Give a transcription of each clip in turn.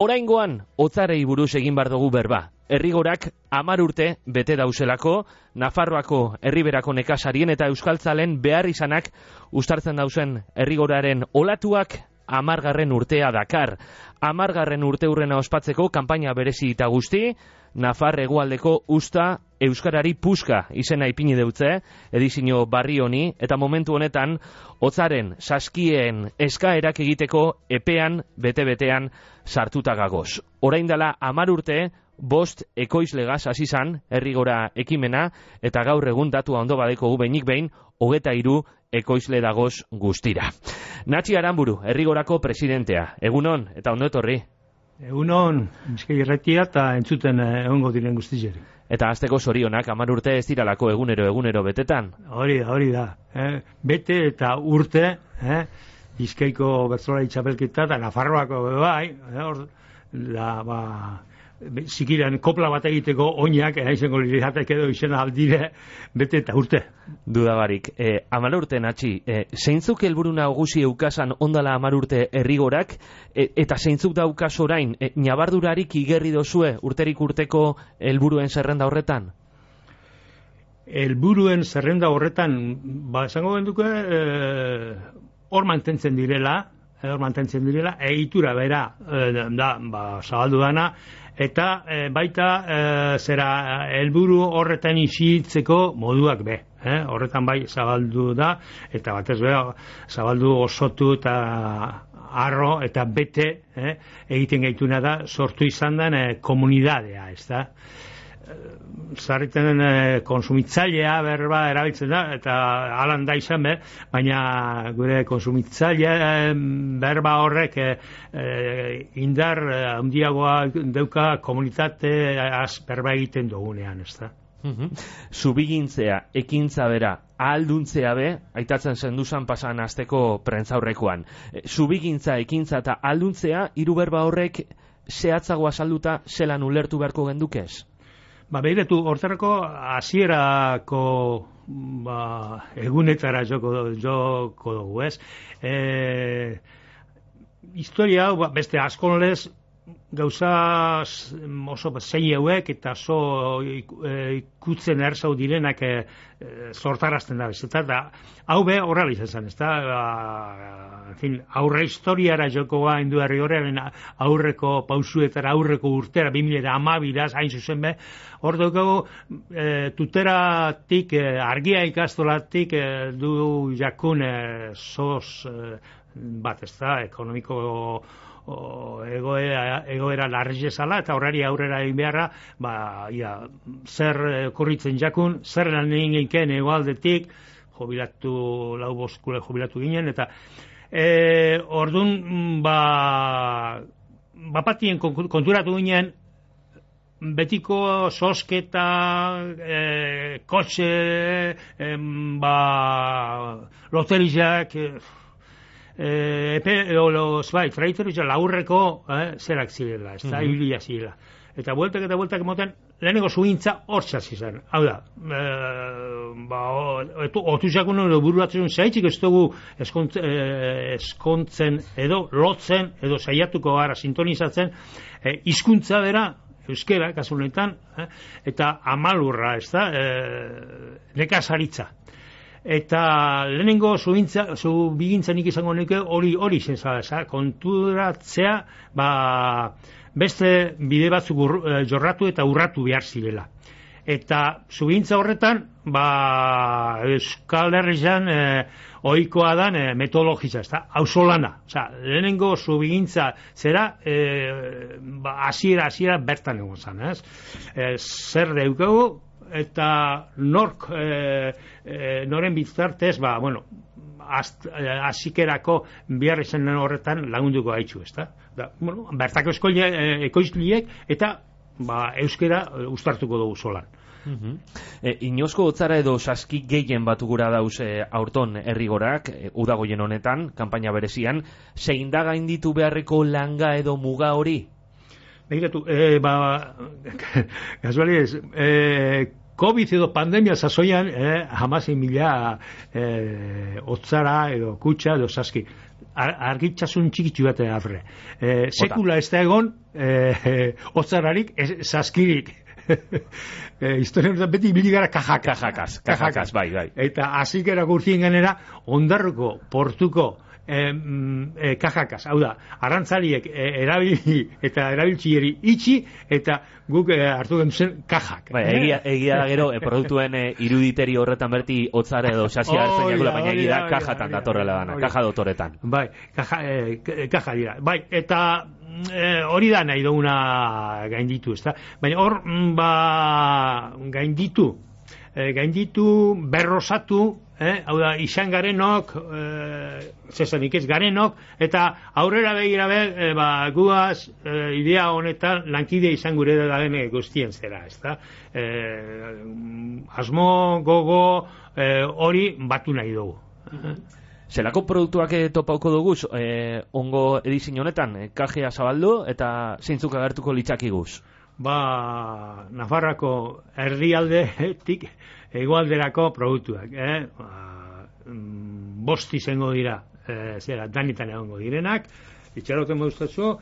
Oraingoan, hotzarei buruz egin bar dugu berba. Errigorak 10 urte bete dauselako, Nafarroako herriberako nekazarien eta euskaltzalen behar izanak uztartzen dausen errigoraren olatuak 10. urtea dakar. 10. urteurrena ospatzeko kanpaina berezi eta guzti, Nafar hegoaldeko usta euskarari puska izena ipini deutze, edizio barri honi, eta momentu honetan, hotzaren saskien eskaerak egiteko epean, bete-betean sartuta gagoz. Orain dela 10 urte, 5 ekoizlegaz hasi zan errigora ekimena, eta gaur egun datua ondo badeko behinik behin, 23 ekoizle dagoz guztira. Natxi Aranburu, errigorako presidentea. Egunon, eta ondo etorri. Egunon, Bizkai Irratia eta entzuten egongo diren guztizeri. Eta hasteko zorionak, 10 urte ez diralako egunero betetan. Hori da. Bete eta urte, Bizkaiko bertsolari txapelketa eta Nafarroako bai, zikiran kopla bat egiteko oinak, izango lirizatek edo izena aldire, bete eta urte. Dudabarik. 10 urte, Natxi, zeintzuk helburu nagusi eukasan ondala 10 urte errigorak, eta zeintzuk daukaz orain, nabardurarik igerri dozue urterik urteko helburuen zerrenda horretan? Helburuen zerrenda horretan, esango benduke, hor mantentzen direla, egitura bera zabaldu dana, eta baita zera helburu horretan isitzeko moduak be. Horretan bai zabaldu da, eta batez bera zabaldu osotu eta arro eta bete egiten gaituna da, sortu izan den komunidadea, ez da? Zarriten konsumitzailea berba erabiltzen da, eta alan da izan be, baina gure konsumitzailea berba horrek indar handiagoa dauka komunitate berba egiten dugunean, ez da? Zubigintzea, ekintza bera, ahalduntzea be, aitatzen zenduzan pasan asteko prentzaurrekoan. Zubigintza, ekintza eta ahalduntzea, hiru berba horrek zehatzago azalduta zelan ulertu beharko gendukez? Behiratu, hortarako hasierako egunetara joko dugu, ez? Historia hau, beste askonlez, gauza oso zei hauek eta ikutzen erzau direnak sortarazten da, eta hau be horrela izan zen, ez da? Aurre historiara jokoa indu herri horrean aurreko pausuetara, aurreko urtera, 2012 hain zuzen be, hor dugu tuteratik, argia ikastolatik du jakun sos bat, ez da, ekonomiko egoera larrizezala, eta horrari aurrera egin beharra, zer korritzen jakun, zer lan egin geinken egoaldetik, lau boskule jubilatu ginen, eta orduan, bapatien konturatu ginen, betiko sosketa, kotxe, loterizak, freiterizak laurreko zerak zirela, ez da, hilia zirela. Eta bueltak emoten, lehenengo zuintza hortzaz izan. Hau da, otuzakun edo bururatzen zaitzik ez dugu eskontzen edo lotzen edo saiatuko gara sintonizatzen hizkuntza bera, euskera, kasu honetan, eta amalurra, ez da, nekazaritza. Eta lehenengo zubigintzen izango nuke hori zen konturatzea beste bide batzuk jorratu eta urratu behar zirela. Eta zubigintza horretan Euskal Herrian ohikoa dan metodologitza, auzolana. Lehenengo zubigintza zera hasiera bertan egon zen, zer deukagu eta noren bitartez, hasikerako behar izan horretan lagunduko gaitzu, ez da? Bertako ekoizliek eta euskera uztartuko dugu solan. Inozko hotzara edo saski gehien batu gura dauz aurton errigorak, udagoien honetan, kanpaina berezian, zein da gainditu beharreko langa edo muga hori? Begiratu, kasualiez, COVID edo pandemia sasoian, 16.000 hotzara edo kutsa edo saski. argitzasun txikitsu bat aurre. Sekula ez da egon hotzararik, saskirik. Historia honetan beti ibili gara kajakaz, bai. Eta azikera gurtien ganera, Ondarruko, Portuko, kajakaz, hau da, arrantzaliek erabili eta erabiltzieri itxi, eta guk hartu genduzen kajak. Bai, egia da gero, produktuen iruditeri horretan berti hotzare edo sasia hartzen jakula, baina egia da kajatan datorrela dana, kaja dotoretan. Bai, kaja dira. Bai, eta hori da nahi duguna gainditu, ezta? Baina hor, gainditu, berrosatu, hau da, izan garenok, zesanik ez garenok, eta aurrera begira guaz, idea honetan lankide izan gure da den guztien zera, ezta? Asmo, gogo, hori batu nahi dugu. Zelako produktuak topauko duguz, ongo edizin honetan, kajea zabaldu eta zeintzuk agertuko litzakiguz? Nafarroako erdialdetik hegoalderako produktuak, bost izango dira, danitan egongo direnak, itxaroten bauztatzu,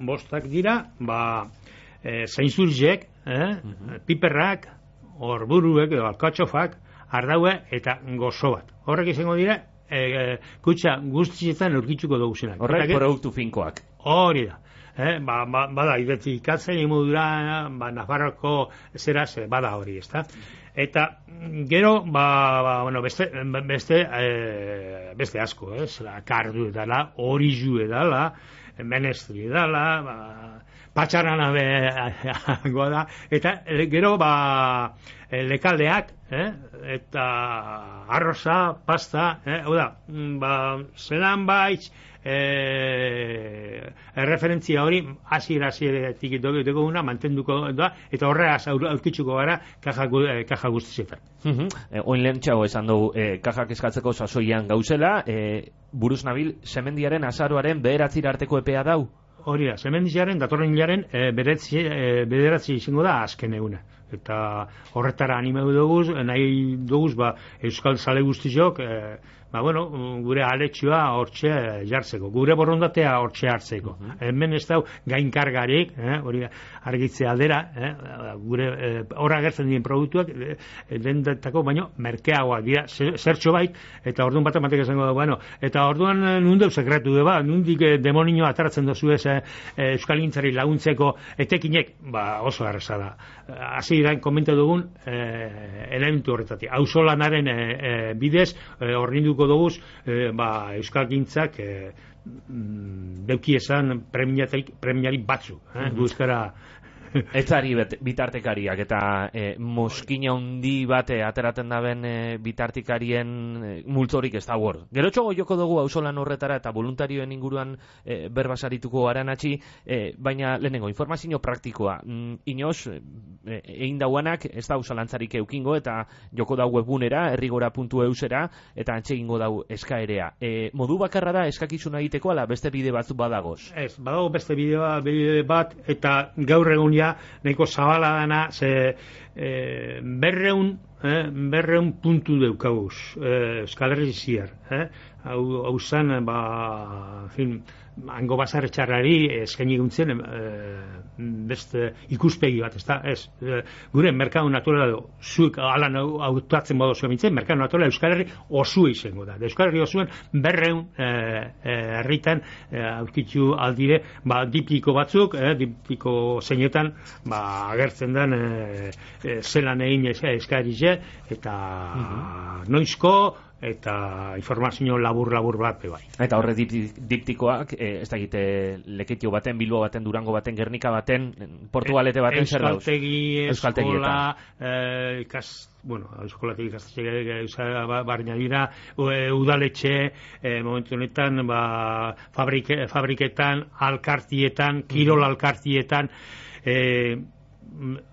bostak dira, zainzurjek, piperrak, orburuek edo alkatxofak, ardaue eta gozo bat. Horrek izango dira, kutsa guztietan aurkituko duguzenak. Horrek produktu finkoak. Hori da. Bada, identifikatzen imodura, Nafarroko zeraz, bada hori, ezta? Eta gero, beste asko, kardu edala, orizu edala, menestri edala, patxarana behangoa da, eta gero, lekaldeak, eta arroza, pasta, hau da, zelan baitz, referentzia hori hasieratik duguna mantenduko da, eta horregaz aurkitzuko gara kaja guztietan. Oin lehentxago esan dugu kajak eskatzeko sasoian gauzela, buruz nabil, semendiaren azaroaren 9 arteko epea dau? Hori da, semendiaren, datorren hilaren bederatzi izango da azken eguna. Eta horretara animeu duguz, nahi duguz, Euskal Zale guztiok, gure aletxua hortxe jartzeko, gure borondatea hortxe hartzeko. Hemen ez dau gainkargarik, hori argitzea aldera, gure horra gertzen diren produktuak, dendetako baino merkeagoak dira, zertxo bait, eta orduan bat ematek esango da, eta orduan nundeu sekretu deba, nundik demonio ataratzen dozu ez Euskal Gintzari laguntzeko etekinek, oso erreza da. Hasi irain komenta dugun elementu horretatik. Auzolanaren bidez, horrinduko duguz, Euskal Gintzak deuki esan premiari batzu. Guzkara Etzari bitartekariak eta moskina handi bate ateraten daben bitartikarien multzorik ez da hor. Gerotxogo joko dugu auzolan horretara eta voluntarioen inguruan berbasarituko aranatxi, baina lehenengo informazio praktikoa. Inoz, egin dauanak ez da ausolantzarik eukingo eta joko dau webgunera, errigora.eusera eta antxegingo dau eskaerea. Modu bakarra da eskakizuna egiteko ala beste bide batzuk badagoz? Ez, badago beste bide bat eta gaur egun nahiko zabala dana, berreun puntu deukaguz Euskal Herri ziar. Hau zan, hango basar txarrari eskaini guntzen beste ikuspegi bat, ez gure merkatu naturala zuek alan autatzen modu zuen mintzen, merkatu naturala Euskal Herri osua izango da. Euskal Herri osuen berreun herritan aurkitu aldire dipliko batzuk, dipliko zeinetan agertzen den zelan egin eskarize eta noizko eta informazio labur bat bai. Eta horre diptikoak, ez da egite Leketio baten, Bilbo baten, Durango baten, Gernika baten, Portugalete baten zer dauz? Euskaltegi, eskolatik ikastetxe barina dira, udaletxe, momentu honetan, fabriketan, alkartietan, kirol alkartietan,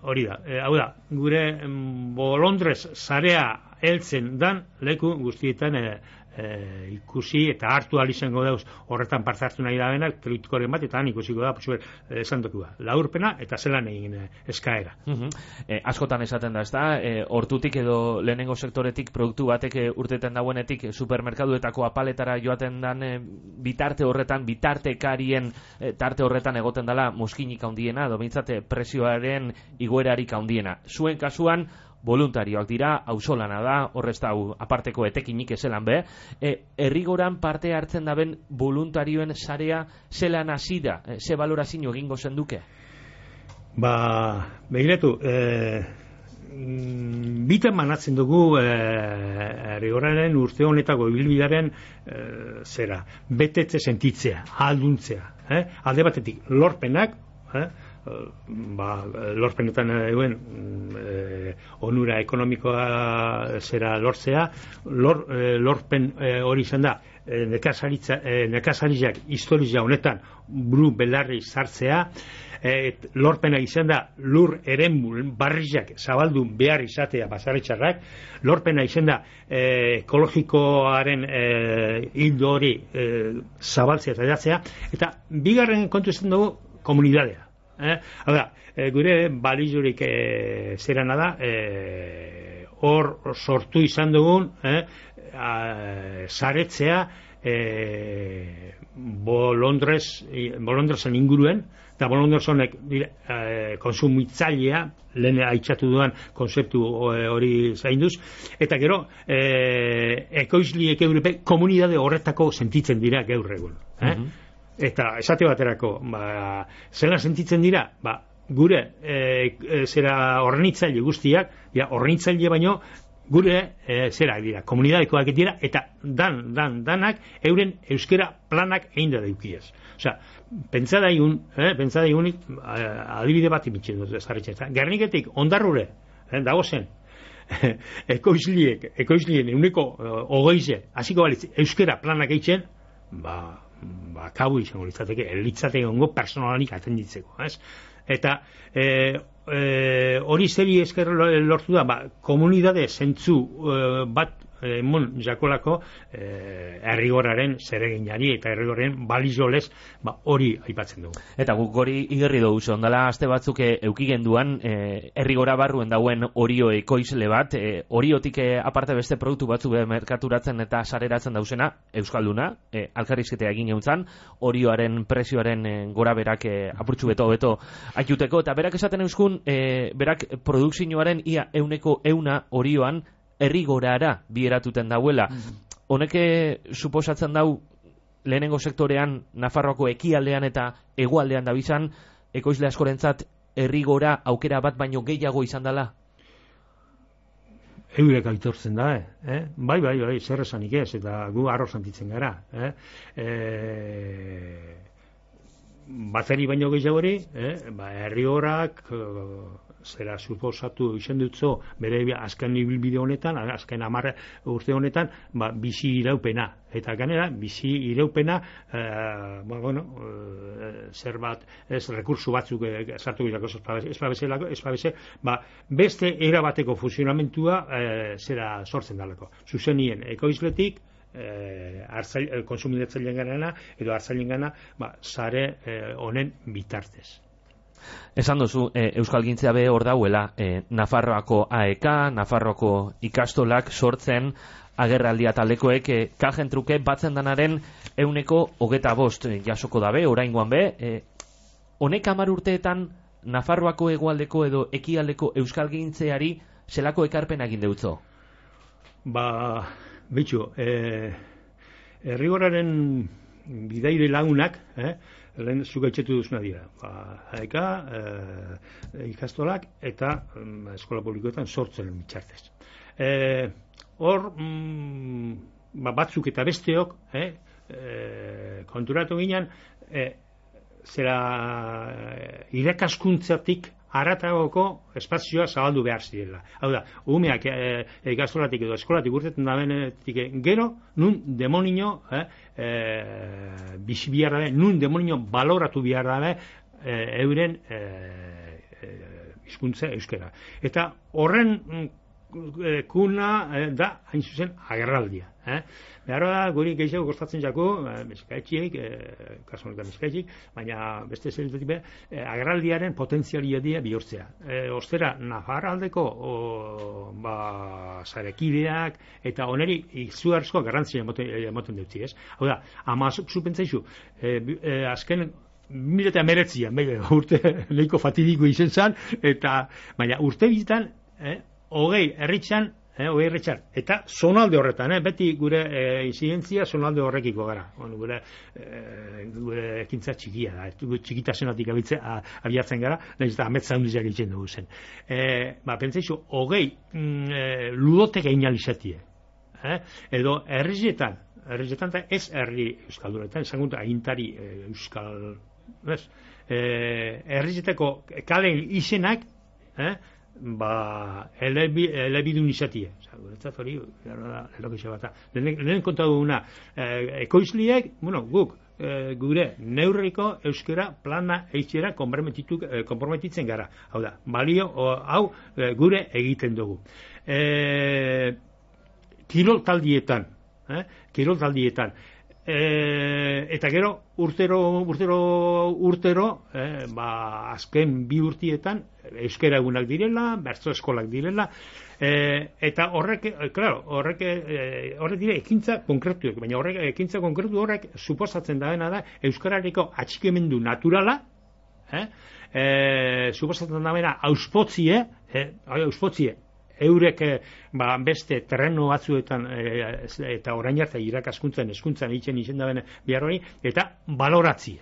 hori da, hau da, gure bolondrez zarea heltzen dan leku guztietan ikusi eta hartu ahal izango dauz horretan parte hartu nahi da benak, kritikoren bat, eta han ikusiko da, esan dokua, laurpena eta zelan egin eskaera. Askotan esaten da, ez da, hortutik edo lehenengo sektoretik produktu batek urteten dauenetik supermerkaduetako apaletara joaten dan bitarte horretan, bitartekarien tarte horretan egoten dela moskinik handiena, edo bintzate presioaren igoerarik handiena. Zuen kasuan, voluntarioak dira, auzolana da, horrez da aparteko etekinik ezelan be, herrigoran parte hartzen daben voluntarioen sarea zelan hasi da, ze balorazio egingo zenduke? Begiratu, bitan manatzen dugu herrigoraren urte honetako ibilbidearen betetze sentitzea, ahalduntzea, alde batetik lorpenak, lorpenetan eguen onura ekonomikoa lortzea, lorpen hori izan da nekazariak historia honetan buru belarri sartzea, lorpena izan da lur eremu barriak zabaldu behar izatea basaretxarrak, lorpena izan da ekologikoaren hildo hori zabaltzea eta edatzea, eta bigarren kontu izan dugu komunidadea. Gure balizurik zerana da, hor sortu izan dugun saretzea bolondrezen inguruen, eta bolondrezonek konsumitzailea, lehen aitzatu duan konzeptu hori zainduz, eta gero ekoizliek eurepe komunidade horretako sentitzen dira gaur egun. Eta esate baterako, zela sentitzen dira, gure horrenitzaile guztiak, horrenitzaile baino, gure zerak dira, komunidadekoak dira, eta danak euren euskera planak egin da deukiez. Osea, pentsada egunik, adibide bat imitzen dut ezarritxeta. Gerniketik, ondarrure, dago zen, ekoizlien euneko hogeize, hasiko balitz, euskera planak egiten, kabu izango litzateke ongo personalanik atenditzeko, ez? Eta hori zeri esker lortu da, komunidade zentzu bat emon jakolako herrigoraren zereginari eta herrigoraren balizolez hori aipatzen dugu. Eta guk hori igerri dugu ondala aste batzuk eukigenduan herrigora barruen dauen orio ekoizle bat, oriotik aparte beste produktu batzuk merkaturatzen eta sareratzen dauzena, euskalduna, alkarrizketea egin euntzan, orioaren prezioaren gora berak apurtxu beto aiuteko, eta berak esaten euskun, berak produkzioaren ia 100% orioan herrigorara bieratuten dauela. Honeke suposatzen dau lehenengo sektorean Nafarroako ekialdean eta hegoaldean dabizan ekoizle askorentzat herrigora aukera bat baino gehiago izan dela? Eurek aitortzen da, Bai, zer esanik ez, eta gu arro santitzen gara, Bateri baino gehiago hori, herrigorak zera suposatu izan dutzo bere azken ibilbide honetan, azken 10 urte honetan, bizi iraupena. Eta ganera, bizi iraupena, zer bat, ez rekursu batzuk sartu girako ez beste erabateko funtzionamentua zera sortzen dalako. Zuzenien ekoizletik, konsumidatzaileen gana edo hartzaileen gana, sare honen bitartez. Esan duzu, euskalgintzea be hor dauela, Nafarroako AEK, Nafarroako ikastolak sortzen agerraldia taldekoek kajen truke batzen danaren 125 jasoko dabe, oraingoan be, honek 10 urteetan Nafarroako hegoaldeko edo ekialdeko euskalgintzeari zelako ekarpen egin deutzo? Bitxu, herrigoraren bidaire lagunak, lehen zuka itxetu duzuna dira. AEK, ikastolak eta eskola publikoetan sortzen mitxartez. Hor, batzuk eta besteok, konturatu ginen, zera irakaskuntzatik haratagoko espazioa zabaldu behar zirela. Hau da, umeak ikastolatik edo eskolatik urtetan da benetik gero, nun demonio bizi behar dabe, nun demonio baloratu behar dabe euren hizkuntza euskera. Eta horren kuna da, hain zuzen, agerraldia. Behar da, guri gehiago kostatzen jako, meskaetxiek, kasu honetan meskaetxiek, baina beste zelitetik be, agerraldiaren potentzialidea bihurtzea. Ostera, Nafarroaldeko zarekideak, eta oneri izugarrizko garrantzia emoten dutzi, ez? Hau da, ama zupentzaizu, azken 2019an, urte nahiko fatidiko izen zan, eta, baina urte bizitan, hogei herritxan, eta zonalde horretan, beti gure incidentzia zonalde horrekiko gara. Gure ekintza txikia da, txikitasunatik abiatzen gara, nahiz eta ametza hundiziak egiten dugu zen. Pentsaizu, hogei ludotek egin alizatie. Edo herrizietan eta ez herri euskalduretan, esan guntu agintari euskal, herrizeteko kalen izenak, elebidun izatie. Guretzat hori, lehen konta duguna, ekoizliek, guk, gure neurriko euskera plana eitxera konprometitzen gara. Hau da, balio, hau gure egiten dugu. Kirol taldietan, eta gero urtero azken bi urtietan euskera egunak direla, bertso eskolak direla, eta horrek dire ekintza konkretuek, baina horrek ekintza konkretu horrek suposatzen da euskarareko atxikemendu naturala, suposatzen da auspotzie, eurek beste terreno batzuetan eta orain arte irakaskuntzan, hezkuntzan egiten izen da behar hori, eta baloratzie.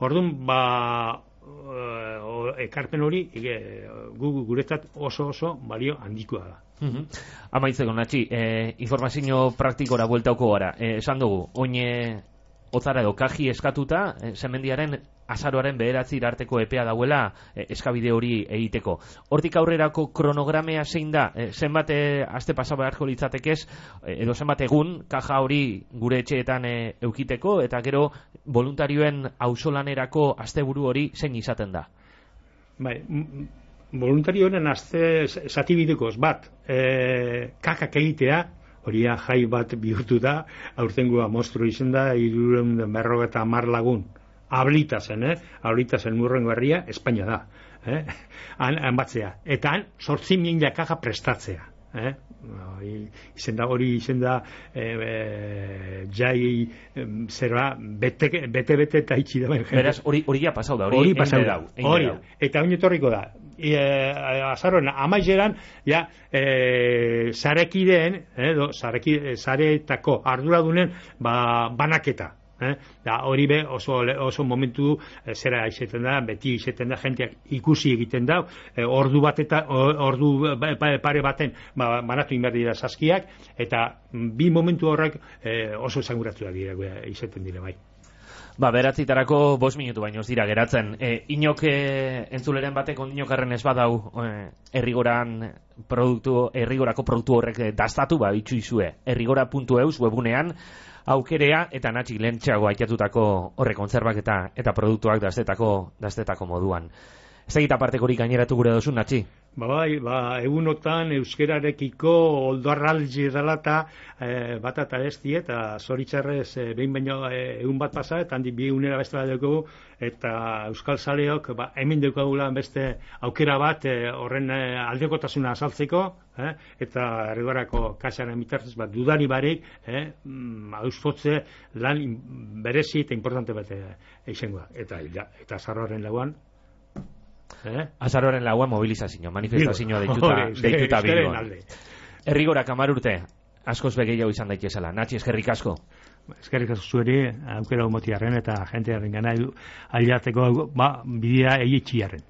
Orduan, ekarpen hori guretzat oso balio handikoa da. Amaitzeko, Natxi, informazio praktikora bueltauko gara. Esan dugu, oin otzara edo kaji eskatuta, semendiaren azaroaren 9 arteko epea dauela eskabide hori egiteko. Hortik aurrerako kronogramea zein da? Zenbat aste pasa beharko litzatekez, edo zenbat egun kaja hori gure etxeetan eukiteko, eta gero voluntarioen auzolanerako asteburu hori zein izaten da? Bai, voluntarioen aste zatibidekoz bat, kakak egitea, hori jai bat bihurtu da, aurtengoa monstru izen da, 350 lagun. Ablitazen, Ablitazen Murrengo herria, Espainia da. Han batzea. Eta han 8.000 kaja prestatzea. Hori izen da jai zerba bete eta itxi da. Beraz, hori ja pasau da. Hori pasau da. Eta oin etorriko da. Azaroen amaizeran zarekideen, zaretako arduradunen banaketa. Hori be oso momentu zera izaten da, beti izaten da, jenteak ikusi egiten da, ordu pare baten banatu inberdi da saskiak, eta bi momentu horrek oso esanguratzuak dira izaten dira bai. Beratzitarako 5 minutu baino ez dira geratzen. Inok entzuleren batek ondinokarren ez badau errigorako produktu horrek dastatu itxu izue. Errigora.eus webunean aukerea eta Natxi lehentxeago aitatutako horre kontzerbak eta produktuak dastetako moduan. Ez egita partekorik gaineratu gure dozu, Natxi? Egunotan euskerarekiko oldarraldi dela bat eta esti, eta zoritzarrez behin baino egun bat pasa, eta handi bi egunera beste bat dugu, eta euskal zaleok hemen dukagula beste aukera bat horren aldekotasuna azaltzeko, eta errigorako kasaren bitartez dudari barik auspotze lan berezi eta importante bat izango. Eta Azaroaren lauan Azaroaren lauan mobilizazio, manifestazioa deituta Bilbon. Errigorak 10 urte, askoz begeiago izan daitezela. Natxi, eskerrik asko. Eskerrik asko zueri, aukera motiarren eta jentearen gana aliateko bidea egitxiarren.